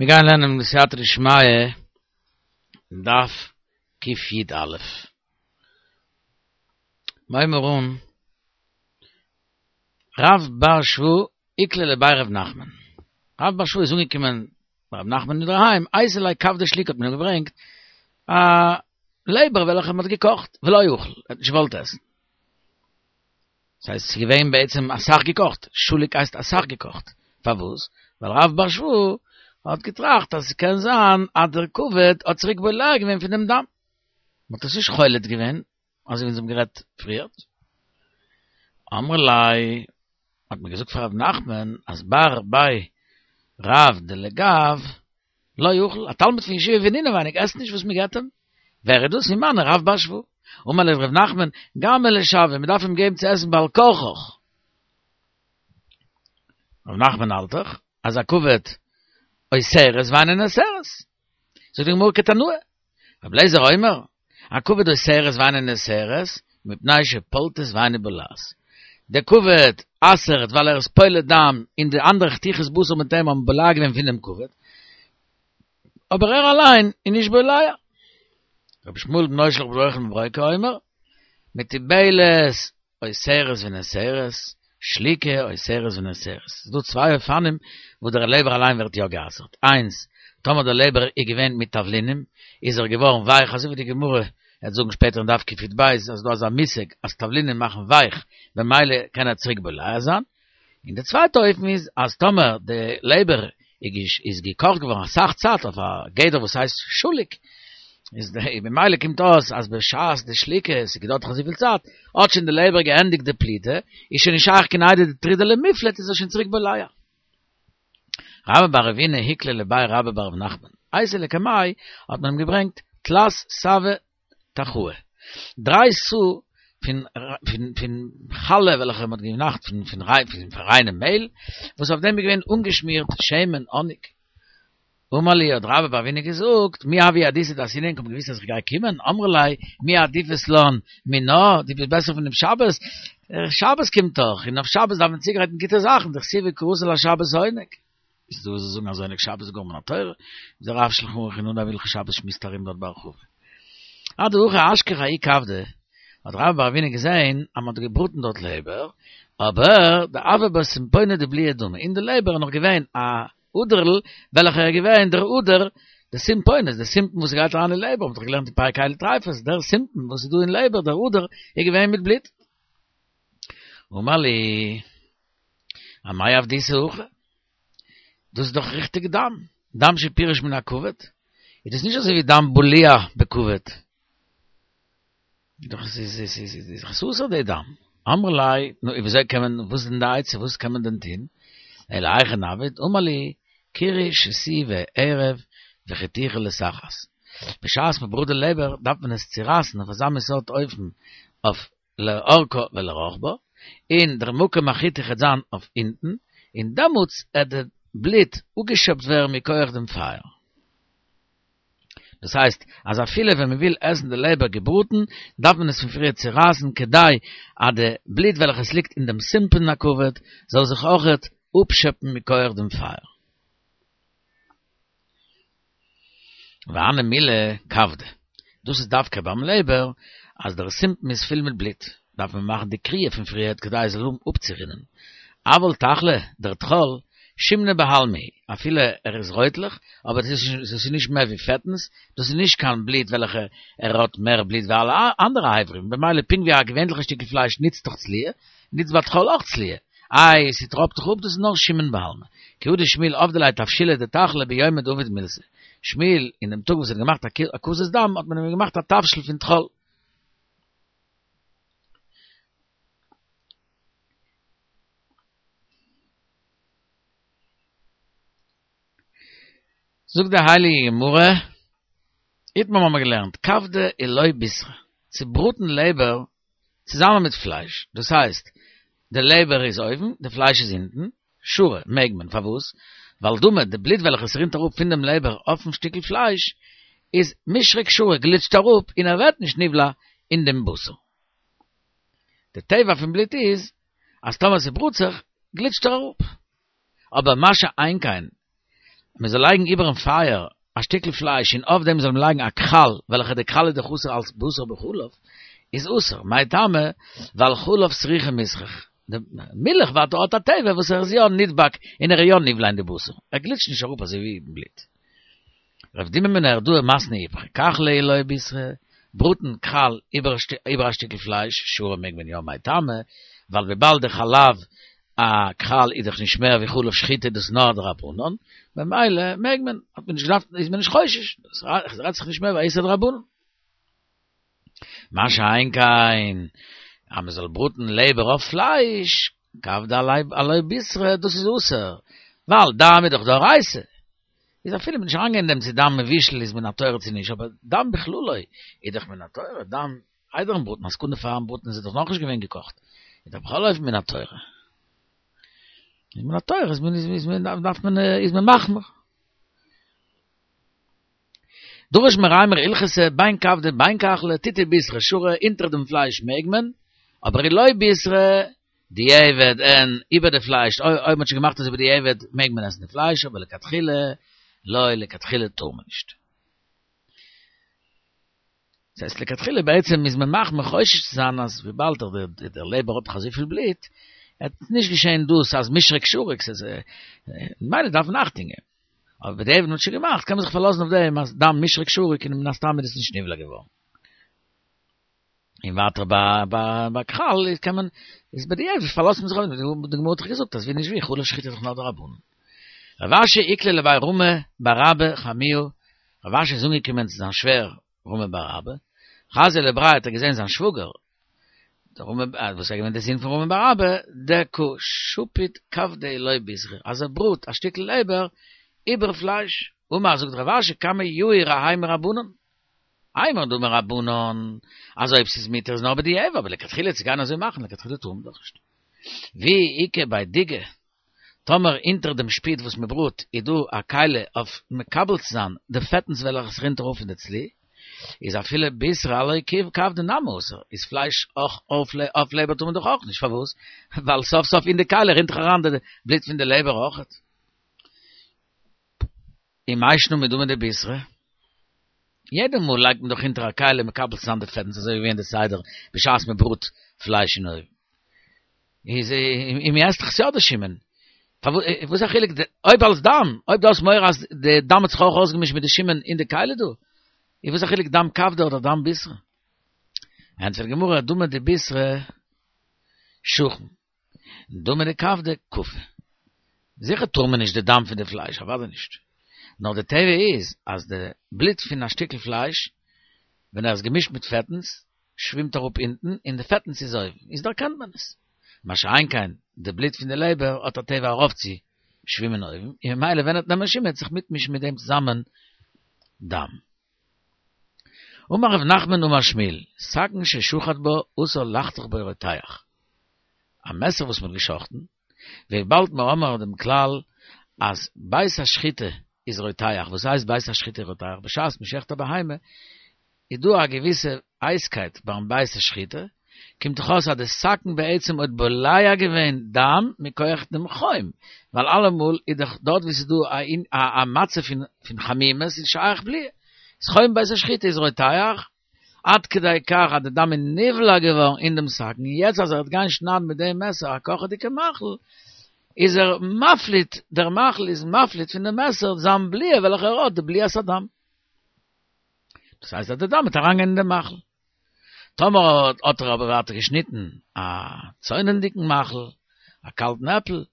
מיר גייען לערנען בסייעתא דשמיא דף קי"א. הייבן מיר אן, רב בר שבא איקלע לבי ר' נחמן. רב בר שבא איז אנגעקומען ביי ר' נחמן אינדערהיים, אייתי ליה כבדא שליקה האט מען אים געברענגט א לעבער וועלכע מען האט געקאכט, ולא אכל, ער האט נישט געוואלט עסן. ס'הייסט ס'איז געווען בעצם אסאך געקאכט, שלוק הייסט אסאך געקאכט, פארוואס? ווייל רב בר שבא האט געטראכט אז ס'קען זיין אז דער כבד האט צוריק בולע געווען פון דעם דם, מ'האט עס נישט חולט געווען, אזוי ווי אונז האבן גערעדט פריערט. אמרי ליה, האט מען געזאגט פאר ר' נחמן אז בר בי רב דלגאו לא אכל, א תלמיד פון ישיבה פון אינעווייניג עסט נישט וואס מ'געט אים, ווער איז דאס? ומנו רב בר שבא. אמר להו ר' נחמן, גמר לשויא, מ'דארף אים געבן צו עסן בעל כרחך. ר' נחמן האלט דאך אז הכבד אוסרת ואינה נאסרת. זאגט די גמרא כתנאי. רבי אליעזר אומר, הכבד אוסרת ואינה נאסרת, מפני שפולטת ואינה בולעת. דער כבד אסר'ט ווייל ער איז פולט דם און די אנדערע חתיכות בשר מיט אים האבן בולע געווען פונעם כבד. אבער ער אליין איז נישט בולע. רבי ישמעאל בנו של רבי יוחנן בן ברוקה אומר, מתובלת אוסרת ונאסרת, שלוקה אוסרת ונאסרת. ס'איז דא צוויי אופנים וואס דער לעבער אליין ווערט יא גע'אסר'ט. איינס, טאמער דער לעבער איז געווען מיט תבלינים, איז ער געווארן ווייך, אזוי ווי די גמרא וועט זאגן שפעטער אין דף קי"ב אז ס'איז דא אזא מושג אז תבלינים מאכן ווייך, במילא קען ער צוריק בולע זיין. און די צווייטע אופן איז אז טאמער די לעבער איז געקאכט געווארן אסאך צייט אויף א גדר וואס הייסט שלוק, איז במילא קומט אויס אז בשעת די שליקה, עס האט געדויערט דאך אזויפיל צייט, האט שוין די לעבער געענדיגט די פליטה, איז שוין נישט שייך קיין איידי דטרידא למיפלט איז ער שוין צוריק בולע. רבה בר רבינא איקלע לבי רבה בר רב נחמן, אייתי לקמיה האט מען אים געברענגט תלת סאוי טחאי. דריי סאה פון פון פון חלה וועלכע מען האט געמאכט פון פון פון ריינעם מעהל, וואס אויף דעם איז געווען אנגעשמירט שמן, האניג. אמר להו האט רבה בר רבינא געזאגט, מי הוה ידעיתו דאתינא ענק האבן געוואוסט אז איך גיי קומען? אמרי ליה, מי עדיפת לן מינה, דו ביסט בעסער פון דעם שבת? שבת קומט דאך, און אויף שבת דארף מען צוגרייטן גוטע זאכן, דכתיב וקראת לשבת עונג. איז דא וואס זאגן אז עונג שבת איז גאר מן התורה, איז דער רב שלחן ערוך אין אנהייב הלכות שבת שמועסט ארום דארט בהרחבה. אדהכי אשכח ההוא כבדא, האט רבה בר רבינא געזען אז מען האט געבראטן דארט לעבער, אבער דהוה ביה סימפונא דבליעי דמא, אין די לעבער איז נאך געווען א אדערל וועלכער איז געווען דער אדער, די סימפונית, די סימפון וואס גייט אריין אין לעבער, מ'האט דאך געלערנט אין פרק אלו טריפות, דער סימפון וואס איז דא אין לעבער, דער אדער, איז געווען מיט בלוט. אמר להו. אמאי עבדיתו הכי? דאס איז דאך ריכטיג דם, דם שפירש מן הכבד, איז דאס נישט אזוי ווי דם בלוע בכבד? דאך עס איז עס איז איז דאך אסור די דם. אמרי ליה, נו ווי אזוי קען מען, וואס איז דען די עצה, וואס קען מען דען טון? אלא היכי נעביד, אמר להו, קרעו שתייה בערב וחיתוכו לתחת. בשעת מען בראט די לעבער דארף מען עס צורייסן אויף אזא מין סארט אופן אויף לארכה ולרחבה, און דער מקום החיתוך העט זיין אויף אונטן, און דעמאלטס העט די בלוט אפגעשעפט ווערן מכח דעם פייער. דאס הייסט, אז אפילו ווען מען וויל עסן די לעבער געבראטן, דארף מען עס פון פריער צורייסן כדי אז די בלוט וועלכע עס ליגט אין דעם סימפון הכבד זאל זיך אויכעט אפשעפן מכח דעם פייער. והני מילי כבדא, דאס איז דווקא ביים לעבער, אז דער סימפון איז פול מיט בלוט, דארף מען מאכן די קריעה פון פריערט כדי עס זאל האבן אפצורינען. אבל טחלא, דער טחול, שומנא בעלמא הוא, אפילו ער איז רויטלעך, אבער דאס איז נישט מער ווי פעטנס, דאס איז נישט קיין בלוט וועלכע ער האט מער בלוט ווי אלע אנדערע אברים, במילא פונקט ווי א געווענליכע שטיקל פלייש נוצט דאך צליה, נוצט ביי טחול אויך צליה. איי, ס'טראפט דאך אפ, דאס איז נאר שומן בעלמא. כי הא דשמואל עבדי ליה תבשילא דטחלא ביומא דעביד מילתא. שמואל, אין דעם טאג וואס ער האט געמאכט הקזת דם, האט מען אים געמאכט א תבשיל פון טחול. זאגט די הייליגע גמרא, איתמר האבן מיר געלערנט, כבדא עילוי בישרא, צו בראטן לעבער צוזאמען מיט פלייש, דאס הייסט, די לעבער איז אויבן, די פלייש איז אונטן, שרי, מעג מען, פארוואס? ווייל דמא, די בלוט וועלכע עס רינט אראפ פון דעם לעבער אויפן שטיקל פלייש, איז מישרק שרי, גליטשט אראפ און ער ווערט נישט נבלע אין דעם בשר. די טבע פון בלוט איז, אז טאמער ס'בראט זיך, גליטשט ער אראפ. אבער מה שאין כן. מען זאל לייגן איבערן פייער א שטיקל פלייש און אויף דעם זאל מען לייגן א כחל, וועלכע די כחל איז דאך אסור אלס בשר בחלב, איז אסור, מאי טעמא, ווייל חלב סרוחי מיסרך, די מילך ווייטער האט א טבע וואס ער איז יא נדבק און ער איז יא נבלע אין די בשר, ער גליטשט נישט אראפ אזוי ווי בלוט. רב דימי מנהרדעא מתני איפכא, כחלא עילוי בישרא, בראטן כחל איבער א שטיקל פלייש, שרי מעג מען יא, מאי טעמא, ווייל וויבאלד די חלב הכחל איז דאך נישט מער ווי חלב שחיטה דאס נאר א דרבנן, ממילא מעג מען, האט מען נישט געדארפט, איז מען נישט חושש, עס רעדט זיך נישט מער ווי א איסור דרבנן. מה שאין כן, אז מען זאל בראטן לעבער אויף פלייש, כבדא עילוי בישרא, דאס איז אסור, ווייל דם איז דאך דאורייתא. איז אפילו מען נישט אריינגיין אין דעם צו דם מבושל איז מן התורה צו נישט, אבער דם בכללו איז דאך מן התורה, דם איידערן בראטן, א סעקונדע פארן בראטן איז עס דאך נאכנישט געווען געקאכט, איז דאך בכל אופן מן התורה. איז מן התורה איז מען איז מען דארף מען איז מען מחמיר. דרש מרימר הלכתא בין כבדא בין כחלא תיתי בישרא שרי אונטער דעם פלייש מעג מען, אבער עילוי בישרא דיעבד און איבער די פלייש אויב מ'האט שוין געמאכט אזוי בדיעבד מעג מען עסן די פלייש אבער לכתחילה לא לכתחילה טאר מען נישט. דאס הייסט לכתחילה בעצם איז מען מחמיר חושש צו זיין אז וויבאלד דער לעבער האט דאך אזויפיל בלוט, עט נישט געשען דאס אז מישרק שריק ס'איז ממילא דארף מען אכטונג געבן. אבער בדיעבד מ'האט שוין געמאכט קען מען זיך פארלאזן אויף דעם אז דם מישרק שריק און מן הסתם איז עס נישט נבלע געווארן. און ווייטער ביי ביי ביי כחל איז קען מען איז בדיעבד פארלאזט מען זיך אויף דעם, די גמרא האט דאך געזאגט אז ווי נישט ווי חלב שחיטה איז דאך נאר דרבנן. רב אשי איקלע לבי רמי בר אבא חמוה, רב אשי איז אנגעקומען צו זיין שווער רמי בר אבא, חזייה לבריה האט ער געזען זיין שוואגער, דער רמי וואס איז געווען דער זון פון רמי בר אבא, דקא שפיט כבדא עילוי בישרא, אז ער בראט א שטיקל לעבער איבער פלייש, אמר זאגט רב אשי כמה יהיר האי מרבנן, אימור דאמור רבנן, אז אויב ס'איז מותר איז נאר בדיעבד, אבער לכתחילה צו גיין אזוי מאכן לכתחילה טאר מען דאך נישט. ואי איכא בי דיגא, טאמער אונטער דעם שפיד וואס מען בראט איז דא א כלי אויף מקבל צו זיין די פעטנס וועלכע עס רינט ארויף פון די צלי, איז אפילו בישרא עילוי כבדא נמי אסור, איז פלייש אויך אויף לעבער טאר מען דאך אויך נישט, פארוואס? ווייל סוף סוף אין די כלי רינט דאך אריין די בלוט פון די לעבער אויכעט. ומאי שנא מדמא דבישרא? יעדע מאל לייגט מען דאך אונטער א כלי מקבל צו זיין די פעטנס אזוי ווי געווען די סדר בשעת מען בראט פלייש אין אויוון. איז און מען עסט דאך יא די שומן. פארוואס איז א חילוק אויב אלס דם, אויב דו האסט מורא אז די דם האט זיך אויך אויסגעמישט מיט די שומן אין די כלי דא, איז וואס א חילוק דם כבדא אדער דם בישרא? ענטפערט די גמרא דמא דבישרא שחין. דמא דכבדא קפי. זיכער טאר מען נישט די דם פון די פלייש, אוודאי נישט. נאר די טבע איז אז די בלוט פון א שטיקל פלייש ווען ער איז געמישט מיט פעטנס שווימט אראפ אונטן און די פעטנס איז אויבן, איז דערקענט מען עס. מה שאין כן די בלוט פון די לעבער האט א טבע ארויף צו שווימען אויבן, און ממילא ווען ער וועט נעמען שומן וועט זיך מיטמישן מיט דעם צוזאמען דם. אמר רב נחמן אמר שמואל, סכין ששחט בה אסור לחתוך בו רותח. א מעסער וואס מ'האט געשחט'ן, וויבאלד מיר האבן דעם כלל אז בית השחיטה איז רותח, וואס הייסט בית השחיטה רותח? בשעת מ'שחט א בהמה איז דא א געוויסע הייסקייט ביים בית השחיטה, קומט דאך אויס אז די סכין בעצם האט בולע געווען דם מכח דעם חום, ווייל אלעמאל איז דאך דארט וואו ס'איז דא א מצב פון חמימות איז שייך בליעה, איז חום בית השחיטה איז רותח, עד כדי כך אז די דם איז נבלע געווארן אין דעם סכין, און יעצט אז ער וועט גיין שניידן מיט דעם מעסער א קאכעדיגע מאכל, איז ער מפליט, דער מאכל איז מפליט פון דעם מעסער זיין בליעה וועלכע ער האט, די בליעת הדם. דאס הייסט אז די דם וועט אריינגיין אין דעם מאכל. טאמער האט ער אבער ווייטער געשניטן א צוננדיגן מאכל, א קאלטן עפל,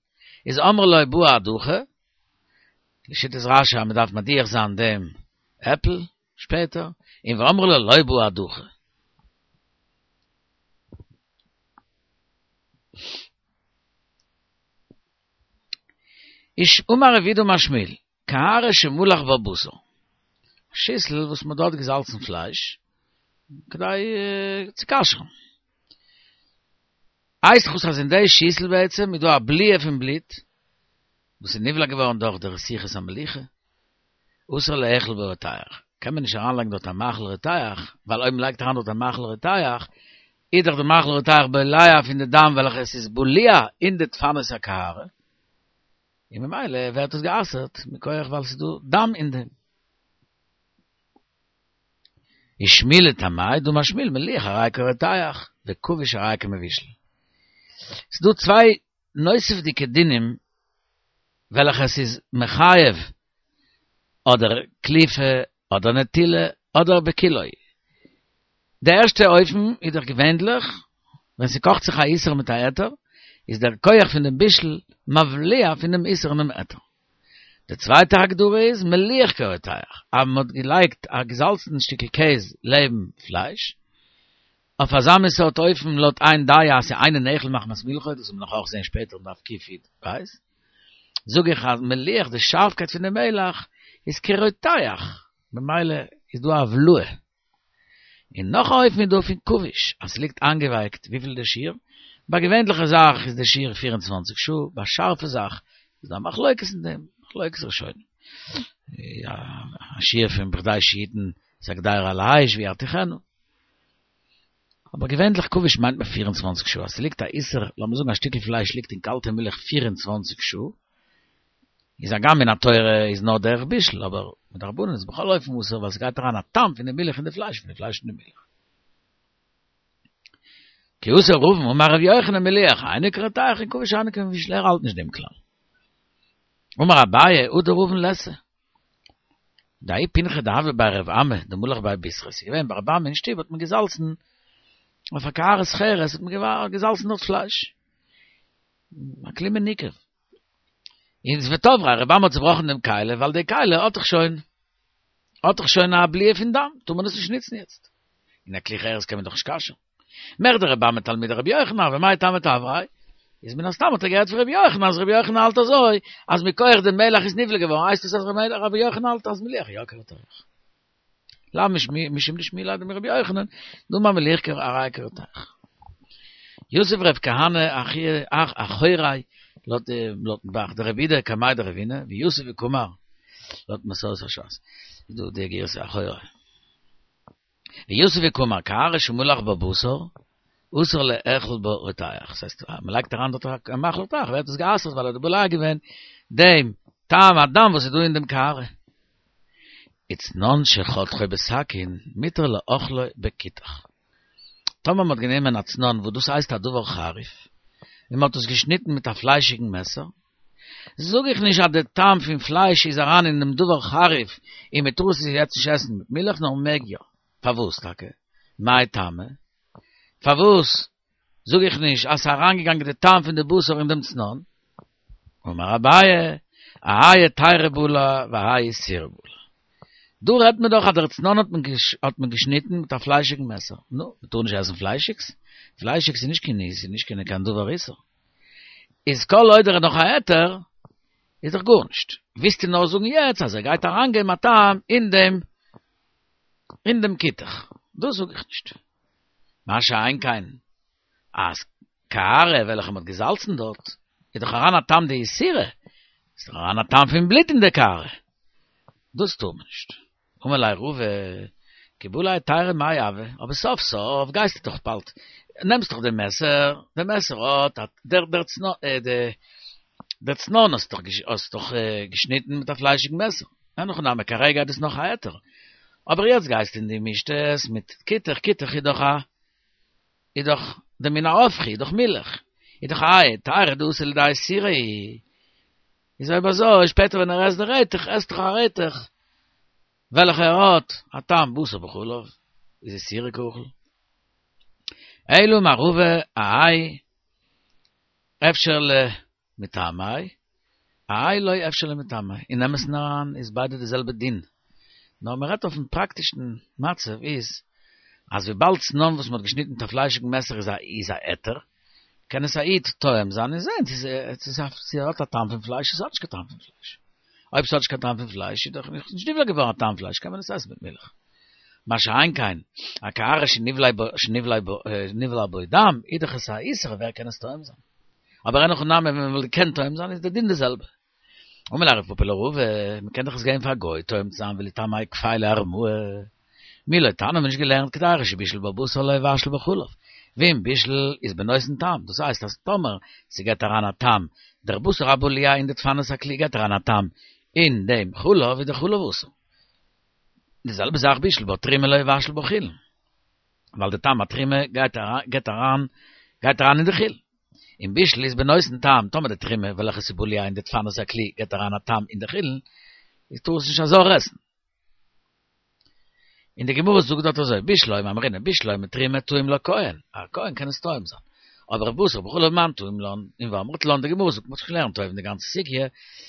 איז אמרו לו בעי הדחה, לשיטת רש"י אז מען דארף מדיח זיין דעם עפל שפעטער, און ואמרי לה לא בעי הדחה. איש אמר רב יהודה אמר שמואל, קערה שמלח בה בשר, א שיסל וואס מ'האט דארט געזאלצן פלייש, כדי צו כשר'ן. הייסט דאך אז אין די שיסל בעצם איז דא א בליעה פון בלוט, וואס איז נבלע געווארן דורך די רתיחת המליחה, אסור לאכול בו רותח, קען מען נישט אריינלייגן דארט א מאכל רותח, ווייל אויב מ'לייגט אריין דארט א מאכל רותח, איז דאך די מאכל רותח בולע פון די דם וועלכע עס איז בלוע אין די דפנות הקערה. און ממילא ווערט עס גע'אסר'ט מכח ווייל ס'איז דא דם אין דעם. ושמואל לטעמיה דאמר שמואל מליח הרי כרותח וכבוש הרי כמבושל. ס'איז דא צוויי נוספ'דיגע דינים וועלכע עס איז מחייב אדער קליפה אדער נטילה אדער בכולו. די ערשטע אופן איז דאך געווענדליך ווען ס'קאכט זיך א איסור מיט א היתר איז דער כח פון דעם בישול מבליע פון דעם איסור און דעם היתר. די צווייטע הגדרה איז מליח כרותח, אז מ'האט געלייגט א געזאלצן שטיקל קעז לעבן פלייש, אויף אזא מין סארט אופן לויט איין דעה אז ס'אינו נאכל מחמת מלחו, דאס וועט מען נאך אויך זען שפעטער אין דף קי"ב, זאג איך אז מליח די שארפקייט פון די מלח איז כרותח, ממילא איז דא א הבלעה. און נאך א אופן איז דא פון כבוש, אז ס'ליגט איינגעווייקט, וויפיל איז די שיעור? ביי געווענליכע זאך איז די שיעור 24 שעה, ביי שארפע זאך איז דא א מחלוקת אין דעם, מחלוקת ראשונים. א שיעור פון בכדי שיתן את הקדירה על האש וירתיחנה. אבער געווענליך כבוש מיינט מען 24 שעה, אז ס'ליגט א איסור, לאמיר זאגן א שטיקל פלייש ליגט אין קאלטע מילך 24 שעה, איז הגם מן התורה איז נאר דרך בישול, אבער מדרבנן איז בכל אופן אסור ווייל ס'גייט אריין א טעם פון די מילך אין די פלייש, פון די פלייש אין די מילך. כי אתא רבין אמר ר' יוחנן מליח אינו כרותח און כבוש אינו כמבושל ער האלט נישט דעם כלל. אמר אביי הדר רבין ליתא. דההוא פינחא דהוה בי רב אמי דמלח ביה בישרא, ס'איז געווען ביי רב אמי אין שטוב האט מען געזאלצן אויף א קערת חרס האט מען געזאלצן דארט פלייש. א כלי מניקב. און ותבריה, רב אמי האט צובראכן דעם כלי, ווייל די כלי האט דאך שוין, האט דאך שוין א בליעה פון דם, טאר מען עס נישט נוצן יעצט. און א כלי חרס קען מען דאך נישט כשר'ן. מכדי רב אמי תלמיד רבי יוחנן, הוה, מאי טעמא תבריה? איז מן הסתם האט ער געהערט פון רבי יוחנן אז רבי יוחנן האלט אזוי, אז מכח דעם מלח איז נבלע געווארן, הייסט עס אז רבי יוחנן האלט אז מליח יא כרותח. לאו משום דשמיע ליה דמרבי יוחנן, דאמר מליח הרי כרותח. יתיב רב כהנא אחוריה לויט לויטן ב"ח דרב אידי קמיה דרבינא ויתיב וקאמר לויט מסורת הש"ס איז דא די גירסא אחוריה ויתיב וקאמר קערה שמלח בה בשר אסור לאכול בה רותח, דאס הייסט אז מ'לייגט אריין דארט א מאכל רותח ווערט עס גע'אסר'ט ווייל ער האט בולע געווען דעם טעם הדם וואס איז דא אין דעם קערה. וצנון שחתכו בסכין מותר לאוכלו בכותח. טאמער מ'האט גענומען א צנון וואס דאס הייסט א דבר חריף, און מ'האט עס געשניטן מיט א פליישיגן מעסער, זאג איך נישט אז די טעם פון פלייש איז אריין אין דעם דבר חריף און מ'טאר עס יעצט נישט עסן מיט מילך נאר מ'מעג יא. פארוואס טאקע? מאי טעמא? פארוואס זאג איך נישט אז ס'איז אריינגעגאנגען די טעם פון די בשר אין דעם צנון? אמר אביי, האי היתירא בלע והאי איסורא בלע. דא רעדט מען דאך אז דער צנון האט מען האט מען געשניטן מיט א פליישיגן מעסער. נו, מ'טאר נישט עסן פליישיגס? פליישיגס איז נישט קיין איז נישט קיין קיין דבר איסור. איז כל עוד ער איז נאך א היתר, איז דאך גארנישט. ווילסטו נאר זאגן יעצט אז ער גייט אריינגעבן א טעם אין דעם אין דעם כותח. דאס זאג איך נישט. מה שאין כן, אז קערה וועלכע מ'האט געזאלצן דארט, איז דאך אריין א טעם דאיסורא, איז דאך אריין א טעם פון בלוט אין די קערה. דאס טאר מען נישט. אמר ליה רבא, כי בלע היתירא מאי הוי, אבער סוף סוף גייסטו דאך באלד, נעמסט דאך די מעסער, די מעסער האט א, דער דער דער צנון האסט דאך האסט דאך געשניטן מיט א פליישיגן מעסער. אין הכי נמי כרגע איז דאס נאך א היתר, אבער יעצט גייסטו און דו מישט עס מיט כותח, כותח איז דאך א, איז דאך די מין ההפכי, איז דאך מילך, איז דאך האי היתירא דאתא לידי איסורא, איז אויב אזוי שפעטער ווען ער עסט די רעטעך, עסט דאך א רעטעך וועלכע ער האט א טעם בשר בחלב, איז איסורא קאכיל. אלא אמר רבא האי אפשר לטעמיה, האי לא אפשר לטעמיה, אין אמת'ן אריין איז ביידע די זעלבע דין, נאר מען רעדט אויפן פראקטישן מצב איז, אז וויבאלד צנון וואס מען האט געשניטן מיט א פליישיגן מעסער איז א איז א היתר, קען עס א איד טועם זיין און זען צו צו ס'האט א טעם פון פלייש צו ס'האט נישט קיין טעם פון פלייש. אויב ס'האט נישט קיין טעם פון פלייש איז דאך נישט נבלע געווארן א טעם פלייש קען מען עס עסן מיט מילך. מה שאין כן, א קערה שנבלע בו דם, איז דאך עס א איסור ווער קען עס טועם זיין? אבער אין הכי נמי ווען מען וואלט געקענט טועם זיין איז די דין די זעלבע. אמר ליה רב פפא לרבא, מען קען דאך עס געבן פאר א גוי טועם צו זיין וליטעמיה כפייה לארמאי. מי לא תניא, האבן מיר נישט געלערנט קדירה שבישל בה בשר לא יבשל בחלב. ואם בישול איז בנותן טעם, דאס הייסט אז טאמער ס'געט אריין א טעם, דער בשר הבלוע אין די דפנות הכלי געט אריין א טעם אין דעם חלב איז דער חלב אסור. די זעלבע זאך בישל בה תרומה לא יבשל בה חולין, ווייל די טעם התרומה גייט אריין גייט אריין אין די חולין. און בישול איז בנותן טעם, טאמער די תרומה וועלכע איז בלוע אין די דפנות הכלי געט אריין א טעם אין די חולין, איז טאר עס נישט א זר עסן. און די גמרא זאגט דארט אזוי, בשלמא אמרינן בשלמא תרומה טעים לה כהן, א כהן קען עס טועם זיין, אבער בשר בחלב מאן טעים לן, און ואמרת לן, די גמרא זאגט מ'האט זיך געלערנט אויבן די גאנצע סוגיא,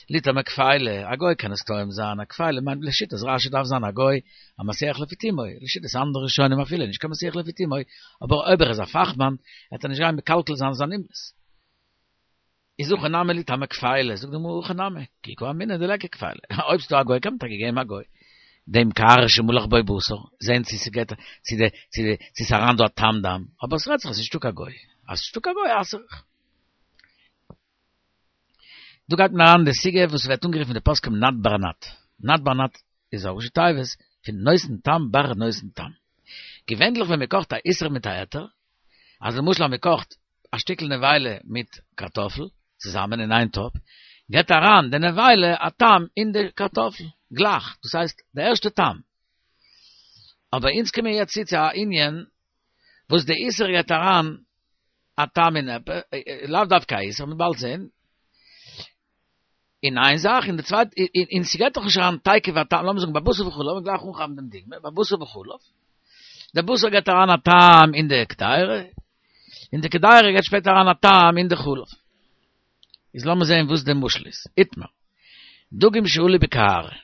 ליטעמיה כפיילא, א גוי קען עס טועם זיין, א כפיילא מיינט לשיטת רש"י דארף זיין א גוי א מסיח לפי תומו, לשיטת אנדערע ראשונים אפילו נישט קיין מסיח לפי תומו, אבער אויב ער איז א פאכמאן, וועט ער נישט גיין מקלקל זיין זיין אומנות. איז הכא נמי ליטעמיה כפיילא, זאגט די גמרא הכא נמי, כי קאמינא דליכא כפיילא, אויב ס'דא א גוי קען מען טאקע געבן א גוי דעם קערה שמלח בה בשר, זען צו ס'געט צו די צו די צו ס'אריין דא א טעם דם, אבער ס'רעדט זיך אז ס'נישטא קיין גוי, אז ס'נישטא קיין גוי אסר איך. דא גייט מען אריין אין די סוגיא וואס ווערט אנגערופן אין די פוסקים נד בר נד, נד בר נד איז א ראשי תיבות פון נותן טעם בר נותן טעם. געווענדליך ווען מ'קאכט א איסור מיט א היתר, אז למשל אז מ'קאכט א שטיקל נבילה מיט קארטאפל צוזאמען אין איין טאפ, געבט אריין די נבילה א טעם אין די קארטאפל גלייך, דאס הייסט די ערשטע טעם. אבער אונז קומען יעצט צו צו א ענין וואס די איסור געבט אריין א טעם אין עפעס, לאו דווקא א איסור, מ'וועט באלד זען, אין איין זאך, און די צווייטע, און ס'געבט דאך נישט אריין תיכף א טעם, לאמיר זאגן ביי בשר בחלב, לאמיר גלייך אנכאפן דעם דוגמא, ביי בשר בחלב, דער בשר געבט אריין א טעם אין די קדירה, און די קדירה געבט שפעטער אריין א טעם אין די חלב. איז לאמיר זען וואס די משל איז. איתמר, דגים שעלו בקערה,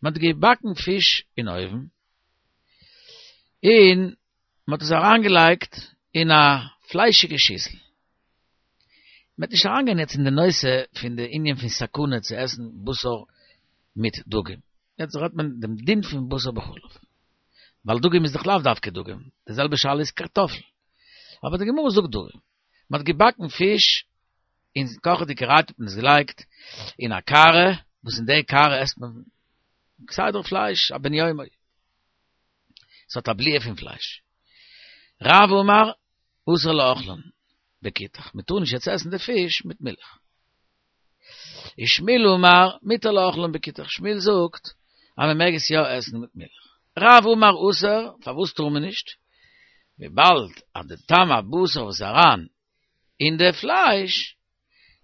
מען האט געבאקן פיש אין אויוון, און מען האט עס אריינגעלייגט אין א פליישיגע שיסל. מען וועט נישט אריינגיין יעצט אין די נושא פון די ענין פון סכנה צו עסן בשר מיט דגים, יעצט רעדט מען דעם דין פון בשר בחלב, ווייל דגים איז דאך לאו דווקא דגים, די זעלבע שאלה איז קארטאפל, אבער די גמרא זאגט דגים, מען האט געבאקן פיש אין קאכעדיגערהייט האט מען עס געלייגט אין א קערה, וואס אין די קערה עסט מען כסדר פלייש א בן יומו. ס'האט א בליעה פון פלייש. רב אמר אסור לאוכלן בכותח, מ'טאר נישט יעצט עסן די פיש מיט מילך. ושמואל אמר מותר לאוכלן בכותח, שמואל זאגט אז מ'מעג עס יא עסן מיט מילך. רב אמר אסור, פארוואס טאר מען נישט? וויבאלד אז די טעם הבשר וואס איז אריין אין די פלייש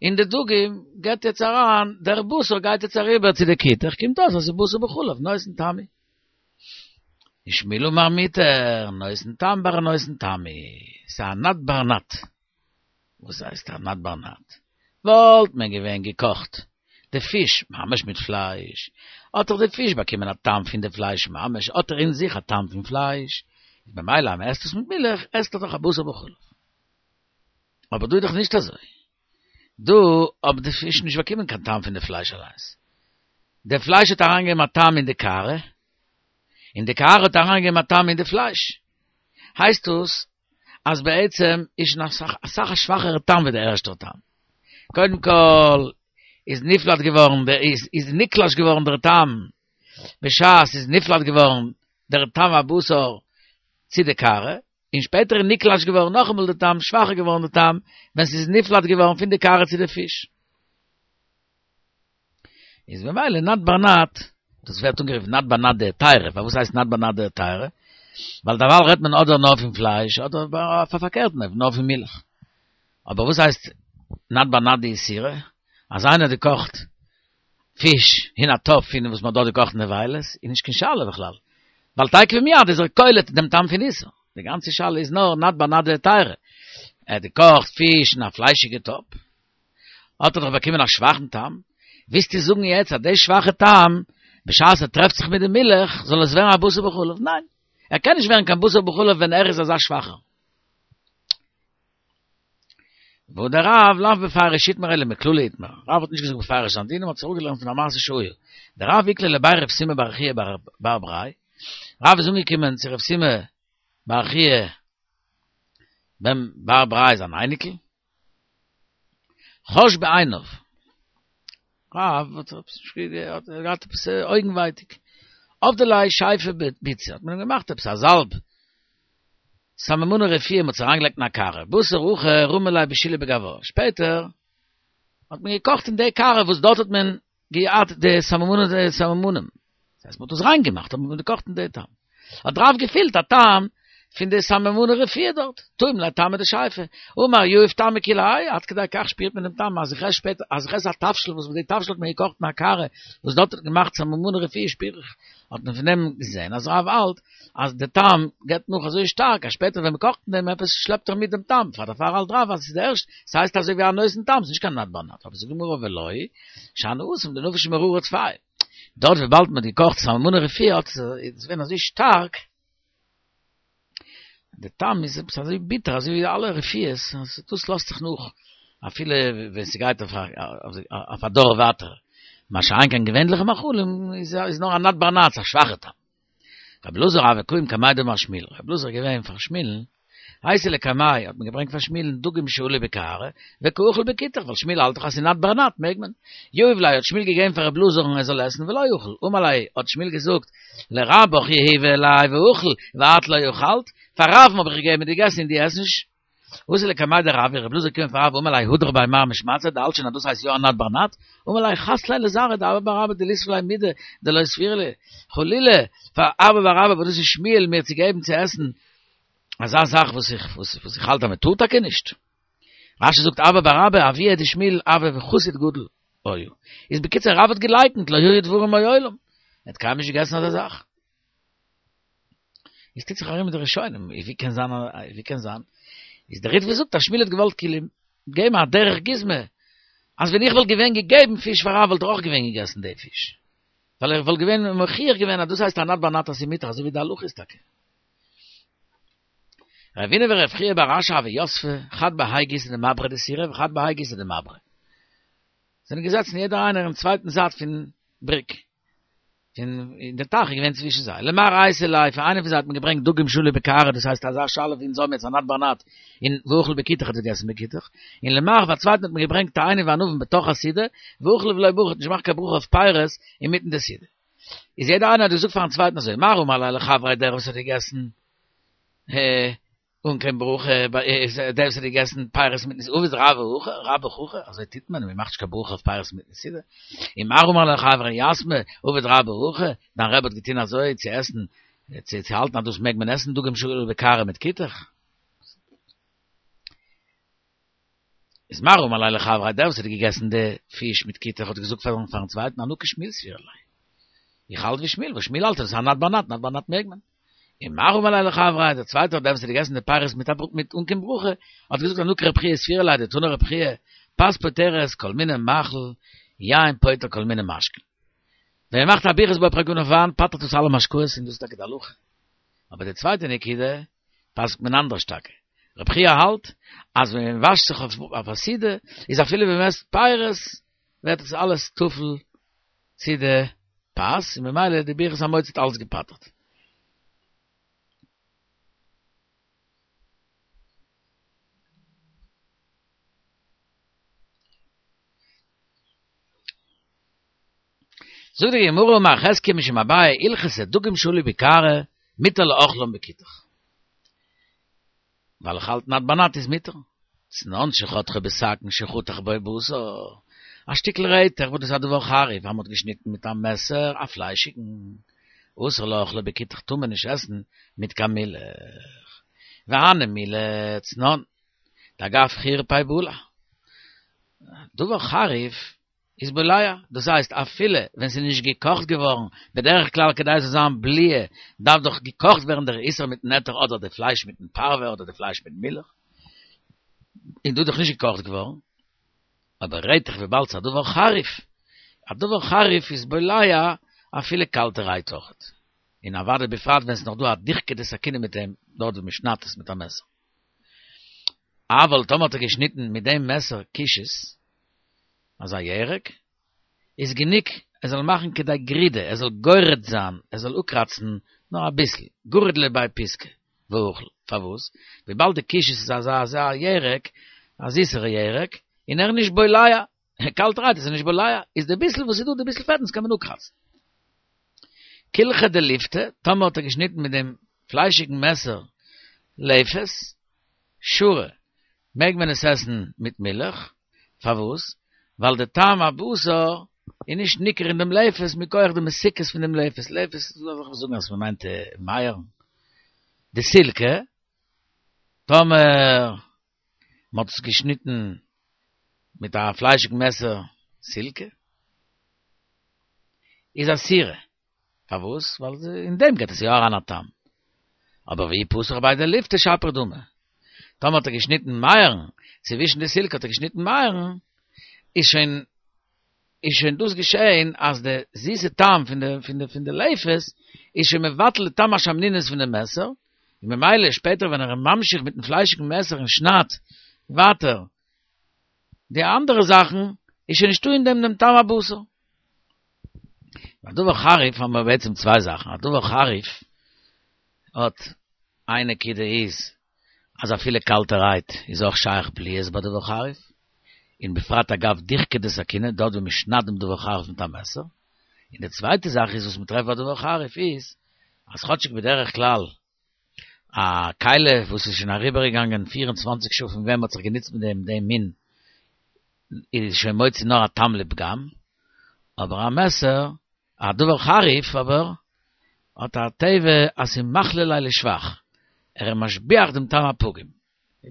אין די דגים גייט יעצט אריין, דער בשר גייט יעצט אריבער צו די כותח, קומט אויס אז ס'איז בשר בחלב, נותן טעם הוא. ושמואל אמר מותר, נותן טעם בר נותן טעם הוא, ס'איז א נד בר נד. וואס הייסט א נד בר נד? וואלט מען געווען געקאכט די פיש ממש מיט פלייש, האט דאך די פיש באקומען א טעם פון די פלייש ממש, האט ער אין זיך א טעם פון פלייש, איז ממילא אז מ'עסט עס מיט מילך, עסט ער דאך א בשר בחלב. אבער דא איז דאך נישט אזוי. דא האט די פיש נישט באקומען קיין טעם פון די פלייש אליינס. די פלייש האט אריינגעגעבן א טעם אין די קערה, און די קערה האט אריינגעגעבן א טעם אין די פלייש. הייסט דאס אז בעצם איז שוין אסאך אסאך א שוואכערע טעם ווי די ערשטער טעם. קודם כל איז נפלט געווארן, איז נקלש געווארן דער טעם בשעת ס'איז נפלט געווארן דער טעם הבשר צו די קערה, און שפעטער איז נקלש געווארן נאכאמאל די טעם, שוואכער געווארן די טעם, ווען ס'איז נפלט געווארן פון די קערה צו די פיש. איז ממילא נד בר נד, דאס ווערט אנגערופן נד בר נד דהיתרא, פארוואס הייסט נד בר נד דהיתרא? ווייל דערווייל רעדט מען אדער נאר פון פלייש, אדער אויף א פארקערטן אופן, נאר פון מילך. אבער וואס הייסט נד בר נד דאיסורא? אז איינער האט געקאכט פיש אין א טאפ פון וואס מ'האט דארט געקאכט נבילות, איז נישט קיין שאלה בכלל, ווייל תיכף ומיד איז ער קולט דעם טעם פון איסור, די גאנצע שאלה איז נאר נד בר נד דהיתרא, ער האט געקאכט פיש אין א פליישיגע טאפ, האט ער דאך באקומען א שוואכן טעם, ווילסטו זאגן יעצט אז די שוואכע טעם, בשעת ער טרעפט זיך מיט די מילך, זאל עס ווערן א בשר בחלב? ניין, ער קען נישט ווערן קיין בשר בחלב ווען ער איז אזא שוואכער. והא דרב לאו בפירוש איתמר אלא מכללא איתמר, רב האט נישט געזאגט בפירוש זיין דין, מען האט עס אראפגעלערנט פון א מעשה שהיה, דרב איקלע לבי רב סימא בר חייא בר בריה, רב איז אנגעקומען צו רב סימא בר חייא בן בר בריה זיין אייניקל, חש בעיניו, רב האט געהאט עפעס אויגן ווייטיג, עבדו ליה שייפא ביצא, האט מען אים געמאכט עפעס א זאלב. סממני רפואה מ'האט עס אריינגעלייגט אין א קערה, בתר הכי רמו ליה בושילא בגווה, שפעטער האט מען געקאכט אין די קערה וואס דארט האט מען געהאט די סממנים סממנים, דאס הייסט מ'האט עס ריין געמאכט האט מען געקאכט אין די טעם, האט רב געפילט א טעם פון די סממני רפואה דארט, טעים ליה טעמא דשייפא, אמר יהיב טעמא כולי האי, עד כדי כך שפירט מען דעם טעם אז איך עס שפעטער אז איך עס א תבשיל וואס מיט די תבשיל האט מען געקאכט אין א קערה וואס דארט האט געמאכט סממני רפואה שפיר איך, האט מען פון דעם געזען אז רב האלט אז די טעם געבט נאך אזוי שטארק אז שפעטער ווען מ'קאכט אין דעם עפעס שלעפט ער מיט דעם טעם, פאר דערפאר האלט רב אז ס'איז די ערשט, ס'הייסט אזוי ווי א נותן טעם, ס'איז נישט קיין נאט בר נאט, אבער זאגט די גמרא ולא שאני התם דנפיש מררא טפי. דארט וויבאלד מ'האט געקאכט סממני רפואה האט עס איז געווען אזוי שטארק, די טעם איז עפעס אזוי ביטער אזוי ווי אלע רפואות, אז דאס לאזט זיך נאך אפילו ווען ס'גייט אויף א דור ווייטער, מה שאין כן געווענליכע מאכלים איז נאר א נאט בר נאט, א שוואכע טעם. רבי אלעזר הוה קאים קמיה דמר שמואל, רבי אלעזר איז געווען פאר שמואל'ן, אייתי לקמיה האט מען געברענגט פאר שמואל'ן דגים שעלו בקערה, וקא אכיל בכותח, ווייל שמואל האלט דאך אז ס'איז נאט בר נאט מעג מען. יהב ליה האט שמואל געגעבן פאר רבי אלעזר'ן ער זאל עסן ולא אכל, אמר ליה האט שמואל געזאגט, לרבך יהיבא ליה ואכיל, ואת לא אכלת, פאר רב'ן האב איך געגעבן און געגעסן און דו עסט נישט. אתא לקמיה דרב, רבי אלעזר געקומען פאר רב אמר ליה הדר ביה מר משמעתתיה, דו האלטסט שוין אז דאס הייסט יא א נאט בר נאט? אמר ליה חס ליה לזרעיה דאבא בר אבא דליסב ליה מידי דלא סבירא ליה, חלילה פאר אבא בר אבא וואס דאס איז שמואל מיר צו געבן צו עסן אזא זאך וואס איך וואס איך האלט אז מען טאר טאקע נישט. רשי זאגט אבא בר אבא אבוה דשמואל הוה חסיד גדול היה. איז בקיצור רב האט געלייקנט לא היו דברים מעולם. ער האט קיינמאל נישט געגעסן אזא זאך. איז טוט זיך ארום מיט די ראשונים, ווי קען זיין ווי קען זיין? איז דער ריטב"א זאגט אז שמואל האט געוואלט כאילו געבן א דרך גוזמא, אז ווען איך וואלט געווען געגעבן פיש פאר רב וואלט ער אויך געווען געגעסן די פיש. ווייל ער וואלט געווען מוכיח געווען אז דאס הייסט א נאט בר נאט אז ס'איז מותר אזוי ווי די הלכה איז טאקע. רבינא ורב חייא בר אשי הוו יתבי חד בהאי גיסא דמברא דסורא וחד בהאי גיסא דמברא. זענען געזעצן יעדער איינער אין צווייטן זייט פון בריק. און דער טייך איז געווען צווישן זיי. למר אייתי ליה, פאר איינעם פון זיי האט מען געברענגט דגים שעלו בקערה, דאס הייסט אזא שאלה ווי אונז האבן יעצט א נאט בר נאט, און ואכיל בכותח האט ער געגעסן בכותח. און למר פאר צווייטן האט מען געברענגט תאנים וענבים בתוך הסעודה, ואכיל ולא ברך האט נישט געמאכט קיין ברכה אויף פירות אינמיטן די סעודה. איז יעדער איינער האט געזאגט פארן צווייטן אזוי, מר אמר ליה לחבריה דער וואס האט געגעסן אן קיין ברכה, דער וואס האט געגעסן פירות מיטן סעודה, עביד רבה רבך הכי, אזוי טוט מען, מען מאכט נישט קיין ברכה אויף פירות מיטן סעודה, און מר אמר ליה לחבריה יתמי, עביד רבך הכי, דיין רבי האט געטון אזוי צו עסן, צו האלטן אז דאס מעג מען עסן דגים שעלו בקערה מיט כותח. איז מר אמר ליה לחבריה דער וואס האט געגעסן די פיש מיט כותח האט געזאגט פארן פארן צווייטן אנא כשמואל סבירא לי. איך האלט ווי שמואל, וואס שמואל האלט אז עס איז א נאט בר נאט, נאט בר נאט מעג מען. און מר אמר ליה לחבריה דער צווייטער דער וואס האט געגעסן די פירות מיט א מיט אן קיין ברכה האט געזאגט אנא כרב חייא סבירא לי דתני רב חייא פת פוטרת כל מיני מאכל יין פוטר כל מיני משקין. ווען מען מאכט א ברכת בורא פרי הגפן אויף וויין פטר'ט עס אלע משקאות און דאס איז טאקע די הלכה. אבער די צווייטע נקודה פסק'ט מען אנדערש טאקע. רב חייא האלט אז ווען מען וואשט זיך אויף א סעודה איז אפילו ווען מען עסט פירות ווערט עס אלעס טפל צו די פת און ממילא די ברכת המוציא האט אלעס געפטר'ט. זאגט די גמרא אמר חזקיה משום אביי הלכתא דגים שעלו בקערה מותר לאוכלן בכותח. ווייל איך האלט נאט בר נאט איז מותר. צנון שחתכו בסכין שחתך בו בשר, א שטיקל רעטעך וואס דאס איז א דבר חריף אז מ'האט געשניטן מיט א מעסער א פליישיגן, אסור לאוכלו בכותח טאר מען נישט עסן מיט קיין מילך. והני מילי צנון, דאגב חורפיה בלע. דבר חריף איז בולע, דאס הייסט אפילו ווען ס'איז נישט געקאכט געווארן, בדרך כלל כדי ס'זאל זיין בליעה דארף דאך געקאכט ווערן דער איסור מיטן היתר אדער די פלייש מיטן פרווה אדער די פלייש מיטן מילך, און דא איז דאך נישט געקאכט געווארן, אבער רעטעך וויבאלד ס'איז א דבר חריף, א דבר חריף איז בולע אפילו קאלטערהייט אויכעט, און אוודאי בפרט ווען ס'איז נאך דא א דיחקא דסכינא מיט דעם דארט ווי מ'שניידט עס מיט א מעסער. אבל טאמער האט ער געשניטן מיט דעם מעסער קישעס, אזא ירק, איז גענוג ער זאל מאכן כדי גרידה, ער זאל גורד זיין, ער זאל אפקראצן נאר אביסל, גריד ליה בי פיסקא, ואכיל, פארוואס? וויבאלד די קישעס איז אזא אזא ירק, א זיסערע ירק, און ער איז נישט בולע, קאלטערהייט איז ער נישט בולע, איז די ביסל וואס איז דא, די ביסל פעטנס קען מען אפקראצן. קילחא דליפתא, טאמער האט ער געשניטן מיט דעם פליישיגן מעסער. לפת, שרי, מעג מען עס עסן מיט מילך, פארוואס? ווייל די טעם הבשר איז נישט ניכר אין דעם לפת מכח די מתיקות פון דעם לפת, לפת לאמיך זאגן אז מען מיינט מייערן, דסילקא, טאמער מען האט עס געשניטן מיט א פליישיג מעסער סילקא, איז אסירא, פארוואס? ווייל אין דעם געט עס יא אריין א טעם. אבער ואי פתח בי דליפתא שפיר דמי. טאמער האט ער געשניטן מייערן, צווישן די סילקא האט ער געשניטן מייערן, איז שוין איז שוין דאס געשען אז די זיסע טעם פון די פון די פון די לפת איז שוין מבטל די טעם השמנונית פון די מעסער, און ממילא שפעטער ווען ער איז ממשיך מיטן פליישיגן מעסער און שניידט ווייטער די אנדערע זאכן, איז שוין נישטא אין דעם דעם טעם הבשר. ביי דבר חריף האבן מיר בעצם צוויי זאכן, א דבר חריף האט איין נקודה איז אז אפילו קאלטערהייט איז אויך שייך בליעות ביי דבר חריף, און בפרט אגב דיחכא דסכינא דארט ווי מען שניידט דעם דבר חריף מיט א מעסער, און די צווייטע זאך איז וואס מען טרעפט ביי דבר חריף איז אז כאטשיג בדרך כלל א כלי וואס איז שוין אריבערגעגאנגען 24 שעה פון ווען מען האט זיך גענוצט מיט דעם דעם מין איז שוין מוציא נאר א טעם לפגם, אבער א מעסער, א דבר חריף אבער, האט א טבע אז ס'איז מחליא ליה לשבח, ער איז משביח דעם טעם הפגום.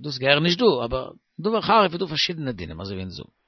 דאס געהער נישט דא, אבער דבר חריף איז דא פארשידענע דינים אזוי ווי אונז זאגן.